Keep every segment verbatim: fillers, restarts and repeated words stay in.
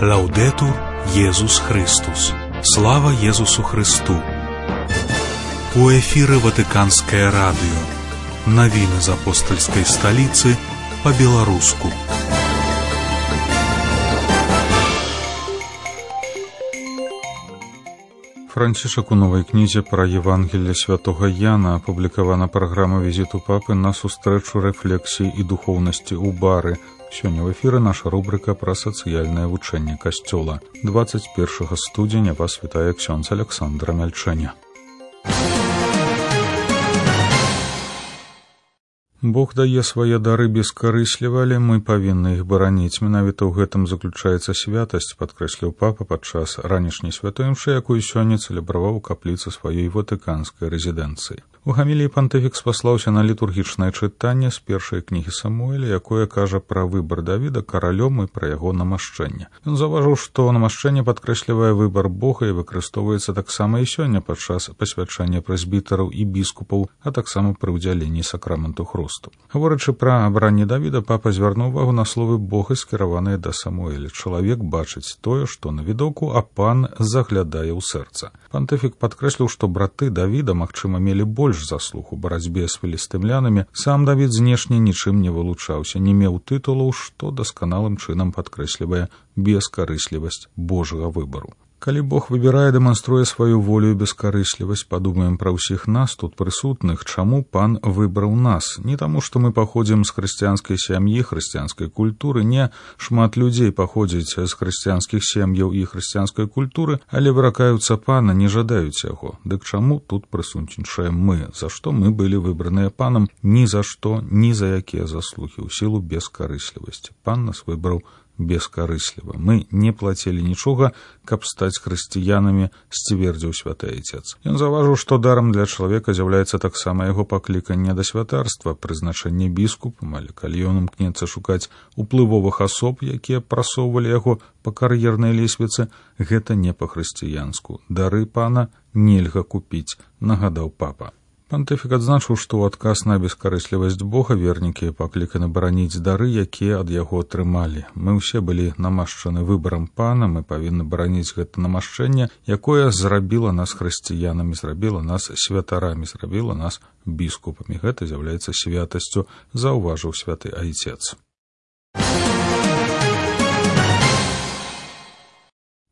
Лаудетур Єсус Христос. Слава Єсусу Христу. У эфиры Ватиканское радио. Новины из апостольской столицы по-белорусски. Францішак у новай кнізе пра Евангелие святого Яна апублікавана праграма візіту папы на сустрэчу рэфлексіі і духоўнасці ў бары. Сёння в эфіры наша рубрика пра сацыяльнае вучэнне касцёла. двадцать первого студзеня вас вітае ксёндз Александр Мяльчэня. Бог дае свае дары бескарысліва, але мы павінны іх бараніць. Менавіта ў гэтым заключаецца святасць, падкрэсліў папа падчас ранішняй святой імшы, якую сёння цэлебраваў у капліцы сваёй ватыканскай рэзідэнцыі. У гаміліі пантыфік спаслаўся на літургічнае чытанне з першай кнігі Самуэля, якое кажа пра выбар Давіда каралём і пра яго намашчэнне. Ён заўважыў, што намашчэнне падкрэслівае выбар Бога і выкарыстоўваецца таксама і сёння падчас пасвячэння прэзбітараў і біскупаў, а таксама пры ўдзяленні сакраменту хрусту. Гаворачы пра абранне Давіда, папа звярнуў увагу на словы Бога, скіраваныя да Самуэля. Чалавек бачыць тое, што на відоку, а пан заглядае ў сэрца. Пантыфік падкрэсліў, што браты Давіда, магчыма, мелі больш заслуг у барацьбе з філістымлянамі. Сам Давід знешне нічым не вылучаўся, не меў тытулаў, што дасканалым чынам падкрэслівае бескарыслівасць Божага выбару. Калі Бог выбірае, дэманструе сваю волю і бескарыслівасць, падумаем пра ўсіх нас тут прысутных, чаму пан выбраў нас. Не таму, што мы паходзім з хрысціянскай сям'і, хрысціянскай культуры, не шмат людзей паходзіць з хрысціянскіх сем'яў і хрысціянскай культуры, але выракаюцца пана, не жадаюць яго. Дык чаму тут прысутнічаем мы? За што мы былі выбраныя панам? Ні за што, ні за якія заслугі, у сілу бескарыслівасці. Пан нас выбраў бескарысліва. Мы не плацілі нічога, каб стаць хрысціянамі, сцвердзіў святы айцец. Ён заўважыў, што дарам для чалавека з'яўляецца таксама яго пакліканне да святарства, прызначэнне біскупам, але калі ён імкнецца шукаць уплывовых асоб, якія прасоўвалі яго па кар'ернай лесвіцы, гэта не па-хрысціянску. Дары пана нельга купіць, нагадаў папа. Пантыфік адзначыў, што ў адказ на бескарыслівасць Бога вернікі пакліканы бараніць дары, якія ад яго атрымалі. Мы ўсе былі намашчаны выбарам пана, мы павінны бараніць гэта намашчэнне, якое зрабіла нас хрысціянамі, зрабіла нас святарамі, зрабіла нас біскупамі. Гэта з'яўляецца святасцю, заўважыў святы айцец.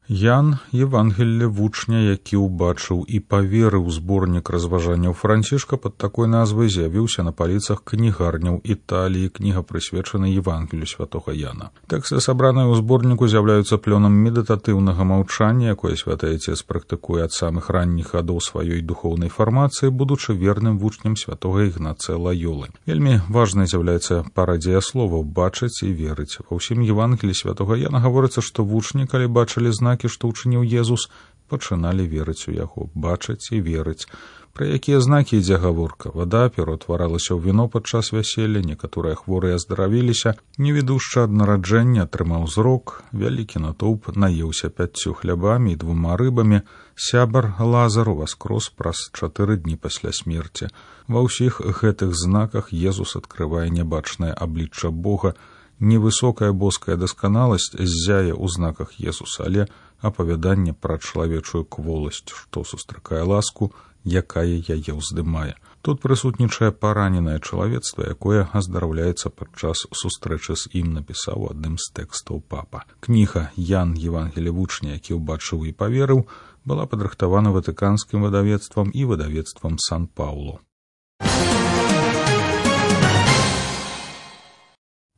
Ян – Евангелле вучня, які ўбачыў і паверыў. Зборнік разважанняў Францішка пад такой назвай з'явіўся на паліцах кнігарняў Італіі. Кніга прысвечана Евангелію святога Яна. Тэксты, сабраныя ў зборніку, з'яўляюцца плёнам медытатыўнага маўчання, якое святы айцец практыкуе ад самых ранніх гадоў сваёй духоўнай фармацыі, будучы верным вучнем святога Ігнацыя Лаёлы. Вельмі важнай з'яўляецца парадзія словаў «бачыць» і «верыць». Ва ўсім Евангеліі святога Яна гаворыцца, што вучні, калі бачылі знакі, што ўчыніў Езус, пачыналі верыць у яго, бачыць і верыць. Пра якія знакі ідзе гаворка? Вада пераўтваралася ў віно падчас вяселля, некаторыя хворыя аздаравіліся, невідушчы ад нараджэння атрымаў зрок, вялікі натоўп наеўся пяццю хлябамі і двума рыбамі, сябар Лазар уваскрос праз чатыры дні пасля смерці. Ва ўсіх гэтых знаках Езус адкрывае нябачнае аблічча Бога. Невысокая боская дасканаласць ззяе ў знаках Езуса, але апавяданне пра чалавечую кволасць, што сустракае ласку, якая яе ўздымае. Тут прысутнічае параненае чалавецтва, якое аздараўляецца падчас сустрэчы з ім, напісаў адным з тэкстаў папа. Кніга «Ян, Евангелие вучня, які ўбачыў і паверыў» была падрыхтавана ватыканскім выдавецтвам і выдавецтвам Сан-Паўлу.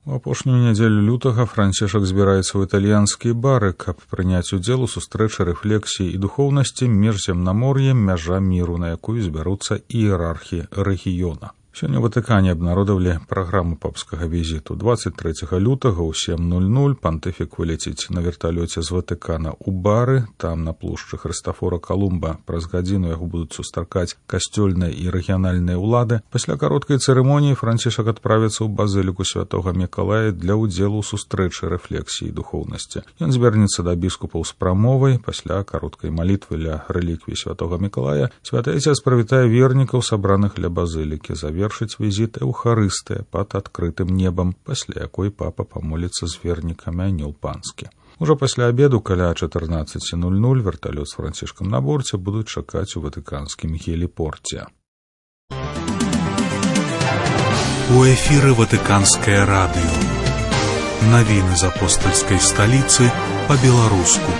У апошнюю нядзелю лютага Францішак збіраецца ў італьянскія бары, каб прыняць удзел у сустрэчы рэфлексіі і духоўнасці міжземнамор'я «Мяжа міру», на якую збяруцца іерархі рэгіёна. Сёння ў Ватыкане абнародавалі праграму папскага візіту. двадцать трэцяга лютага ў сем нуль нуль пантыфік вылеціць на верталёце з Ватыкана ў бары. Там на плошчы Хрыстафора Калумба праз гадзіну яго будуць сустракаць касцёльныя і рэгіянальныя ўлады. Пасля кароткай цырымоніі Францішак адправіцца ў базыліку святога Мікалая для ўдзелу ў сустрэчы рэфлексіі і духоўнасці. Ён звярнецца да біскупаў з прамовай. Пасля кароткай малітвы ля рэліквіі святога Мікалая святы айцец прывітае вернікаў, сабраных ля базылікі. Завер завершыць візіт Эўхарыстыя пад адкрытым небам, пасля якой папа памоліцца з вернікамі анёл панскі. Ужо пасля абеду каля чатырнаццаць нуль нуль верталёт з Францішкам на борце будуць чакаць у ватыканскім геліпорце. У эфіры Ватыканскае радыё. Навіны з апостальскай сталіцы па-беларуску.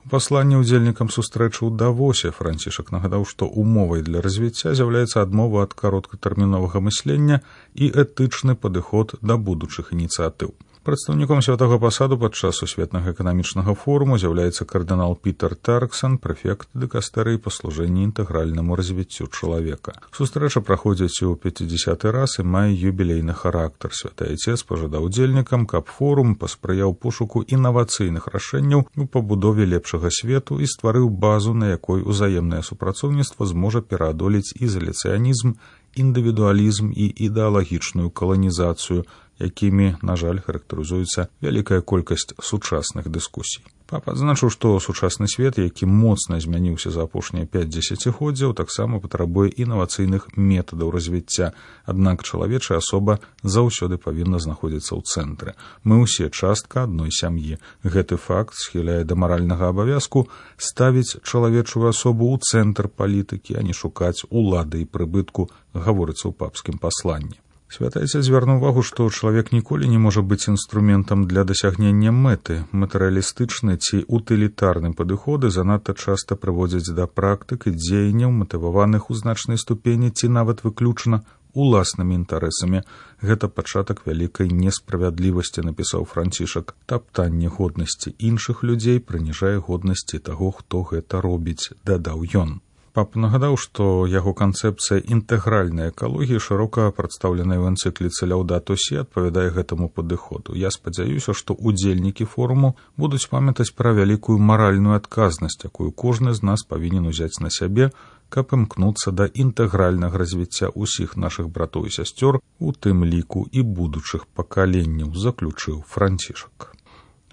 У пасланні ўдзельнікам сустрэчы ў Давосе Францішак нагадаў, што умовай для развіцця з'яўляецца адмова ад кароткатэрміновага мыслення і этычны падыход да будучых ініцыятыў. Прадстаўніком святога пасаду падчас сусветнага эканамічнага форуму з'яўляецца кардынал Пітер Тарксон, прэфект дыкастэрыі па служэнні інтэгральнаму развіццю чалавека. Сустрэча праходзіць у пяцідзясяты раз і мае юбілейны характар. Святы Айцец пажадаў удзельнікам, каб форум паспрыяў пошуку інавацыйных рашэнняў у пабудове лепшага свету і стварыў базу, на якой узаемнае супрацоўніцтва зможа пераадолець ізаляцыянізм, індывідуалізм і ідэалагічную каланізацыю, якімі, на жаль, характарызуецца вялікая колькасць сучасных дыскусій. Папа адзначыў, што сучасны свет, які моцна змяніўся за апошнія пяць дзесяцігоддзяў, таксама патрабуе інавацыйных метадаў развіцця, аднак чалавечая асоба заўсёды павінна знаходзіцца ў цэнтры. Мы ўсе частка адной сям'і. Гэты факт схіляе да маральнага абавязку ставіць чалавечую асобу ў цэнтр палітыкі, а не шукаць улады і прыбытку, гаворыцца ў папскім пасланні. Святы Айцец звярнуў увагу, што чалавек ніколі не можа быць інструментам для дасягнення мэты. Матэрыялістычны ці утылітарны падыходы занадта часта прыводзяць да практык і дзеянняў, матываваных у значнай ступені ці нават выключна уласнымі інтарэсамі. Гэта пачатак вялікай несправядлівасці, напісаў Францішак. Таптанне годнасці іншых людзей прыніжае годнасці таго, хто гэта робіць, дадаў ён. Папа нагадаў, што яго канцэпцыя інтэгральнай экалогіі, шырока прадстаўленая ў энцыкліцы «Лаўдато Сі», адпавядае гэтаму падыходу. Я спадзяюся, што удзельнікі форуму будуць памятаць пра вялікую маральную адказнасць, якую кожны з нас павінен узяць на сябе, каб імкнуцца да інтэгральнага развіцця ўсіх нашых братоў і сясцёр, у тым ліку і будучых пакаленняў, заключыў Францішак.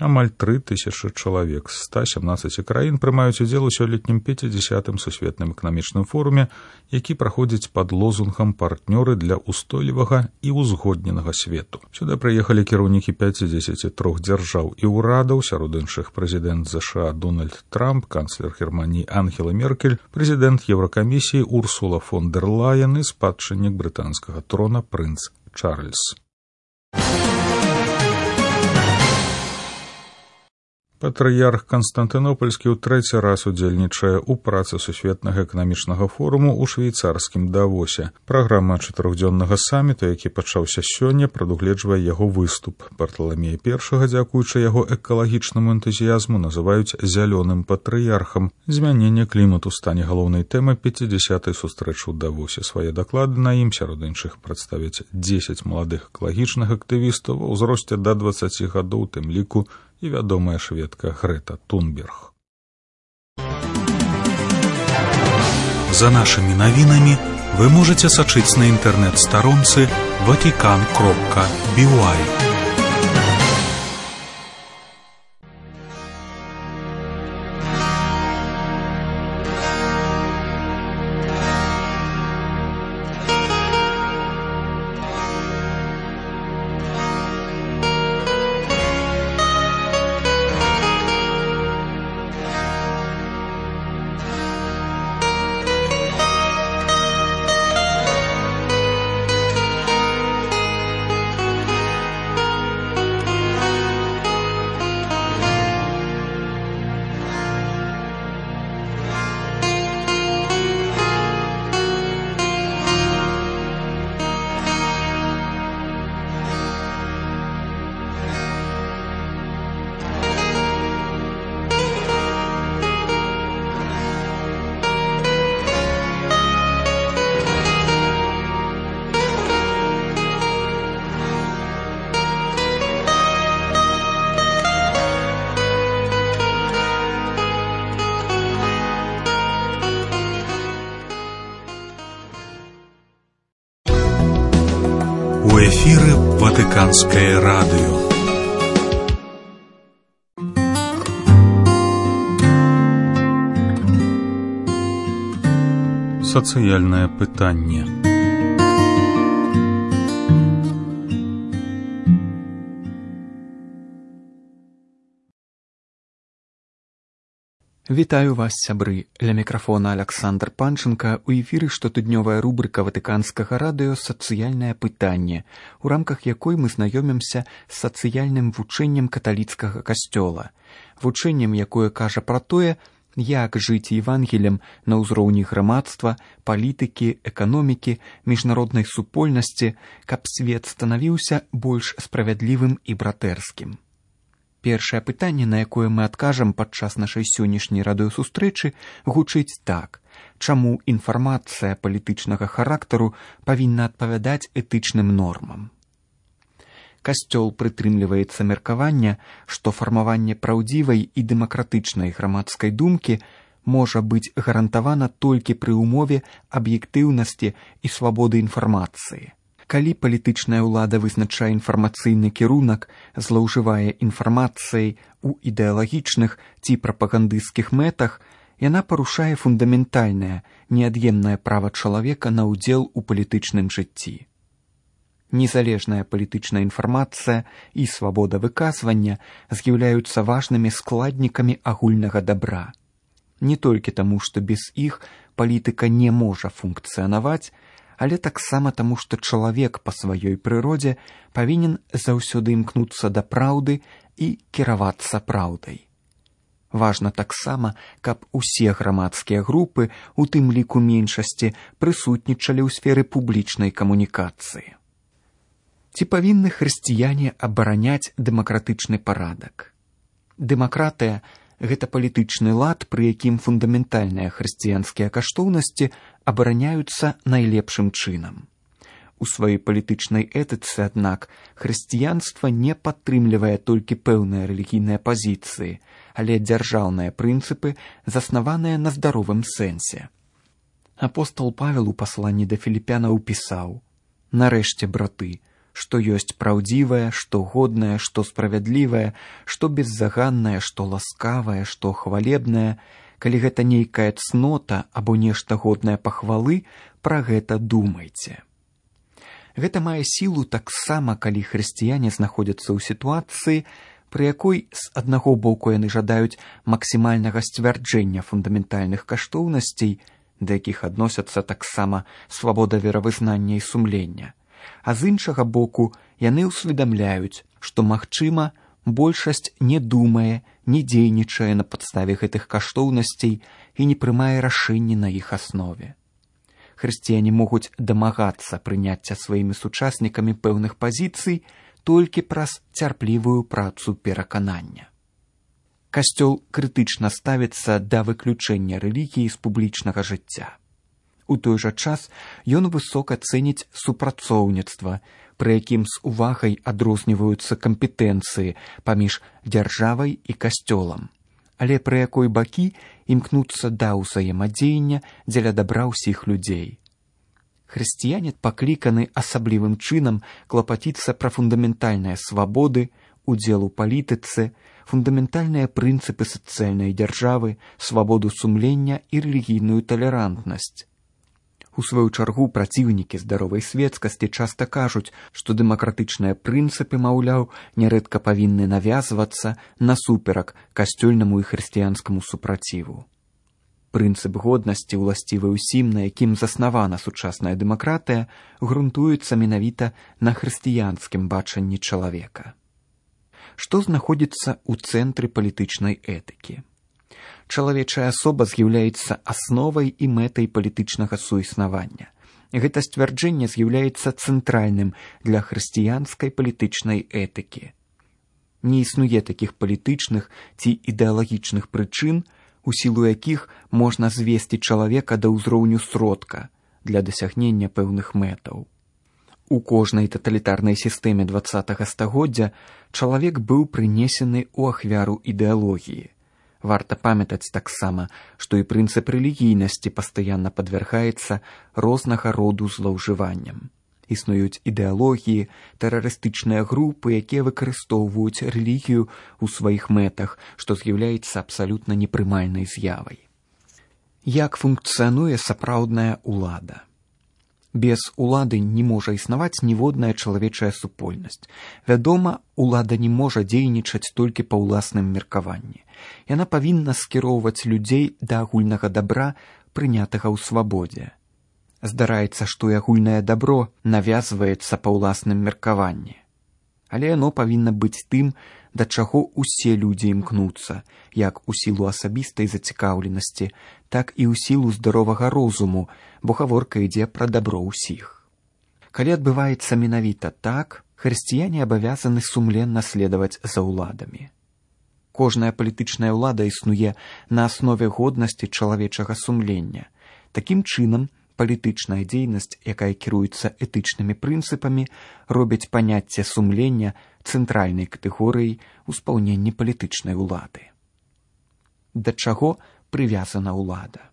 Амаль тры тысячы чалавек з ста сямнаццаці краін прымаюць удзел у сёлетнім пяцідзясятым сусветным эканамічным форуме, які праходзіць пад лозунгам «Партнёры для ўстойлівага і ўзгодненага свету». Сюды прыехалі кіраўнікі пяцідзесяці трох дзяржаў і ўрадаў, сярод іншых прэзідэнт ЗША Дональд Трамп, канцлер Германіі Ангела Меркель, прэзідэнт Еўракамісіі Урсула фон дэр Лаен і спадчыннік брытанскага трона прынц Чарльз. Патрыярх Канстантынопольскі ў трэці раз удзельнічае ў працы сусветнага эканамічнага форуму ў швейцарскім Давосе. Праграма чатырохдзённага саміту, які пачаўся сёння, прадугледжвае яго выступ. Барталамея першага, дзякуючы яго экалагічнаму энтузіязму, называюць зялёным патрыярхам. Змяненне клімату стане галоўнай тэмай пяцідзясятай сустрэчы ў Давосе. Свае даклады на ім, сярод іншых, прадставяць дзесяць маладых экалагічных актывістаў ва ўзросце да дваццаці гадоў, тым ліку і вядомая шведка Грета Тунберг. За нашымі навінамі вы можаце сачыць на інтэрнэт-старонцы ватикан кропка би уай. У эфіры Ватыканскае радыё. Сацыяльнае пытанне. Вітаю вас, сябры. Ля мікрафона Аляксандр Панченка. У эфіры штотыднёвая рубрика Ватыканскага радыё «Сацыяльнае пытанне», у рамках якой мы знаёмімся з сацыяльным вучэннем каталіцкага касцёла. Вучэннем, якое кажа пра тое, як жыць евангелем на ўзроўні грамадства, палітыкі, эканомікі, міжнароднай супольнасці, каб свет станавіўся больш справядлівым і братэрскім. Першае пытанне, на якое мы адкажам падчас нашай сённяшняй радыёсустрэчы, гучыць так: чаму інфармацыя палітычнага характару павінна адпавядаць этычным нормам? Касцёл прытрымліваецца меркавання, што фармаванне праўдзівай і дэмакратычнай грамадскай думкі можа быць гарантавана толькі пры ўмове аб'ектыўнасці і свабоды інфармацыі. Калі палітычная ўлада вызначае інфармацыйны кірунак, злоўжывае інфармацыяй у ідэалагічных ці прапагандысцкіх мэтах, яна парушае фундаментальнае, неад'емнае права чалавека на ўдзел у палітычным жыцці. Незалежная палітычная інфармацыя і свабода выказвання з'яўляюцца важнымі складнікамі агульнага дабра. Не толькі таму, што без іх палітыка не можа функцыянаваць, але таксама таму, што чалавек па сваёй прыродзе павінен заўсёды імкнуцца да праўды і кіравацца праўдай. Важна таксама, каб усе грамадскія групы, у тым ліку меншасці, прысутнічалі ў сферы публічнай камунікацыі. Ці павінны хрысціяне абараняць дэмакратычны парадак? Дэмакратыя – гэта палітычны лад, пры якім фундаментальныя хрысціянскія каштоўнасці абараняюцца найлепшым чынам. У сваёй палітычнай этыцы, аднак, хрысціянства не падтрымлівае толькі пэўныя рэлігійныя пазіцыі, але дзяржаўныя прынцыпы, заснаваныя на здаровым сэнсе. Апостол Павел у пасланні да філіпянаў пісаў: «Нарэшце, браты, што ёсць праўдзівае, што годнае, што справядлівае, што беззаганнае, што ласкавае, што хвалебнае, калі гэта нейкая цнота або нешта годнае пахвалы, пра гэта думайце». Гэта мае сілу таксама, калі хрысціяне знаходзяцца ў сітуацыі, пры якой з аднаго боку яны жадаюць максімальнага сцвярджэння фундаментальных каштоўнасцей, да якіх адносяцца таксама свабода веравызнання і сумлення, а з іншага боку яны ўсведамляюць, што, магчыма, большасць не думае, не дзейнічае на падставе гэтых каштоўнасцей і не прымае рашэнні на іх аснове. Хрысціяне могуць дамагацца прыняцця сваімі сучаснікамі пэўных пазіцый толькі праз цярплівую працу пераканання. Касцёл крытычна ставіцца да выключэння рэлігіі з публічнага жыцця. У той жа час ён высока цэніць супрацоўніцтва, пры якім з увагай адрозніваюцца кампетэнцыі паміж дзяржавай і касцёлам, але пры якой бакі імкнуцца да ўзаемадзеяння дзеля дабра ўсіх людзей. Хрысціяне пакліканы асаблівым чынам клапаціцца пра фундаментальныя свабоды, удзел у палітыцы, фундаментальныя прынцыпы сацыяльнай дзяржавы, свабоду сумлення і рэлігійную талерантнасць. У сваю чаргу праціўнікі здаровай светскасці часта кажуць, што дэмакратычныя прынцыпы, маўляў, нярэдка павінны навязвацца насуперак касцёльнаму і хрысціянскаму супраціву. Прынцып годнасці, уласцівы ўсім, на якім заснавана сучасная дэмакратыя, грунтуецца менавіта на хрысціянскім бачанні чалавека. Што знаходзіцца ў цэнтры палітычнай этыкі? Чалавечая асоба з'яўляецца асновай і мэтай палітычнага суіснавання. Гэта сцвярджэнне з'яўляецца цэнтральным для хрысціянскай палітычнай этыкі. Не існуе такіх палітычных ці ідэалагічных прычын, у сілу якіх можна звесці чалавека да ўзроўню сродка для дасягнення пэўных мэтаў. У кожнай таталітарнай сістэме дваццатага стагоддзя чалавек быў прынесены ў ахвяру ідэалогіі. Варта памятаць таксама, што і прынцып рэлігійнасці пастаянна падвяргаецца рознага роду злоўжыванням. Існуюць ідэалогіі, тэрарыстычныя групы, якія выкарыстоўваюць рэлігію ў сваіх мэтах, што з'яўляецца абсалютна непрымальнай з'явай. Як функцыянуе сапраўдная ўлада? Без улады не можа існаваць ніводная чалавечая супольнасць. Вядома, улада не можа дзейнічаць толькі па ўласным меркаванні. Яна павінна скіроўваць людзей да агульнага дабра, прынятага ў свабодзе. Здараецца, што і агульнае дабро навязваецца па ўласным меркаванні. Але яно павінна быць тым, да чаго ўсе людзі імкнуцца, як у сілу асабістай зацікаўленасці, так і ў сілу здаровага розуму, бо гаворка ідзе пра дабро ўсіх. Калі адбываецца менавіта так, хрысціяне абавязаны сумленна следаваць за ўладамі. Кожная палітычная ўлада існуе на аснове годнасці чалавечага сумлення. Такім чынам, палітычная дзейнасць, якая кіруецца этычнымі прынцыпамі, робіць паняцце сумлення цэнтральнай катэгорыяй у спаўненні палітычнай улады. Да чаго прывязана ўлада?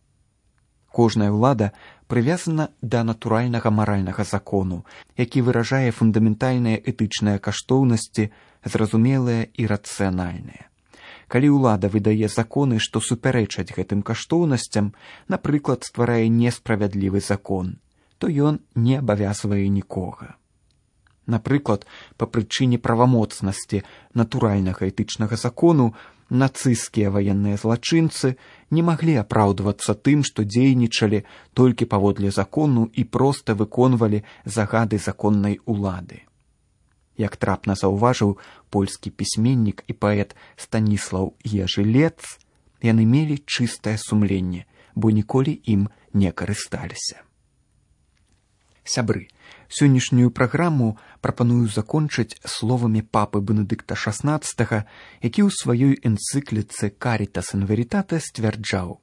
Кожная ўлада прывязана да натуральнага маральнага закону, які выражае фундаментальныя этычныя каштоўнасці, зразумелыя і рацыянальныя. Калі ўлада выдае законы, што супярэчаць гэтым каштоўнасцям, напрыклад, стварае несправядлівы закон, то ён не абавязвае нікога. Напрыклад, па прычыне правамоцнасці натуральнага этычнага закону нацысцкія ваенныя злачынцы не маглі апраўдвацца тым, што дзейнічалі толькі паводле закону і проста выконвалі загады законнай улады. Як трапна заўважыў польскі пісьменнік і паэт Станіслаў Ежылец, яны мелі чыстае сумленне, бо ніколі ім не карысталіся. Сябры, сённяшнюю праграму прапаную закончыць словамі папы Бенедыкта шаснаццатага, які ў сваёй энцыкліцы «Caritas in Veritate» сцвярджаў: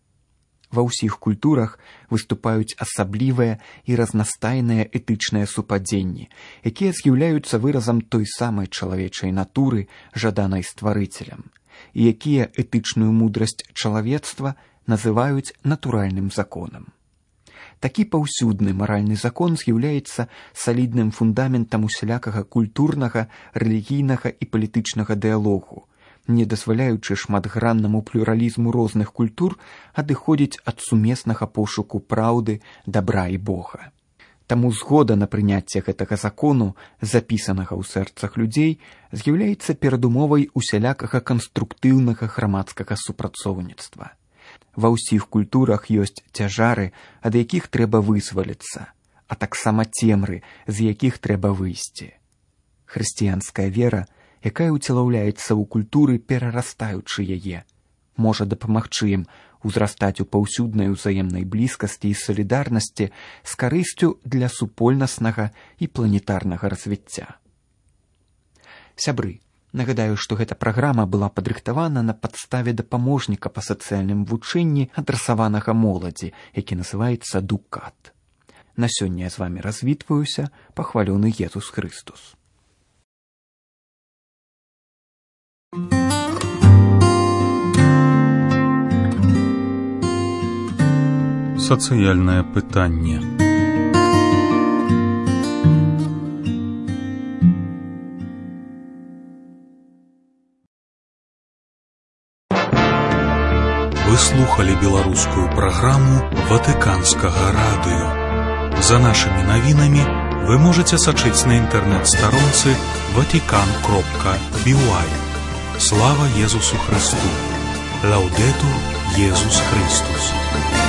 ва ўсіх культурах выступаюць асаблівыя і разнастайныя этычныя супадзенні, якія з'яўляюцца выразам той самай чалавечай натуры, жаданай стварыцелем, і якія этычную мудрасць чалавецтва называюць натуральным законам. Такі паўсюдны маральны закон з'яўляецца салідным фундаментам усялякага культурнага, рэлігійнага і палітычнага дыялогу, не дазваляючы шматграннаму плюралізму розных культур адыходзіць ад сумеснага пошуку праўды, дабра і Бога. Таму згода на прыняцце гэтага закону, запісанага ў сэрцах людзей, з'яўляецца перадумовай усялякага канструктыўнага грамадскага супрацоўніцтва. Ва ўсіх культурах ёсць цяжары, ад якіх трэба вызваліцца, а таксама цемры, з якіх трэба выйсці. Хрысціянская вера, якая ўцелаўляецца ў культуры, перарастаючы яе, можа дапамагчы ім узрастаць у паўсюднай узаемнай блізкасці і салідарнасці з карысцю для супольнаснага і планетарнага развіцця. Сябры, нагадаю, што гэта праграма была падрыхтавана на падставе дапаможніка па сацыяльным вучэнні, адрасаванага моладзі, які называецца «Дукат». На сёння я з вамі развітваюся, пахвалёны Езус Хрыстус. Сацыяльнае пытанне. Вы слухали беларускую праграму Ватыканскага радыё. За нашымі навінамі вы можаце сачыць на інтэрнэт-старонцы ватикан кропка би уай. Слава Езусу Христу! Лаудетур Езус Христус!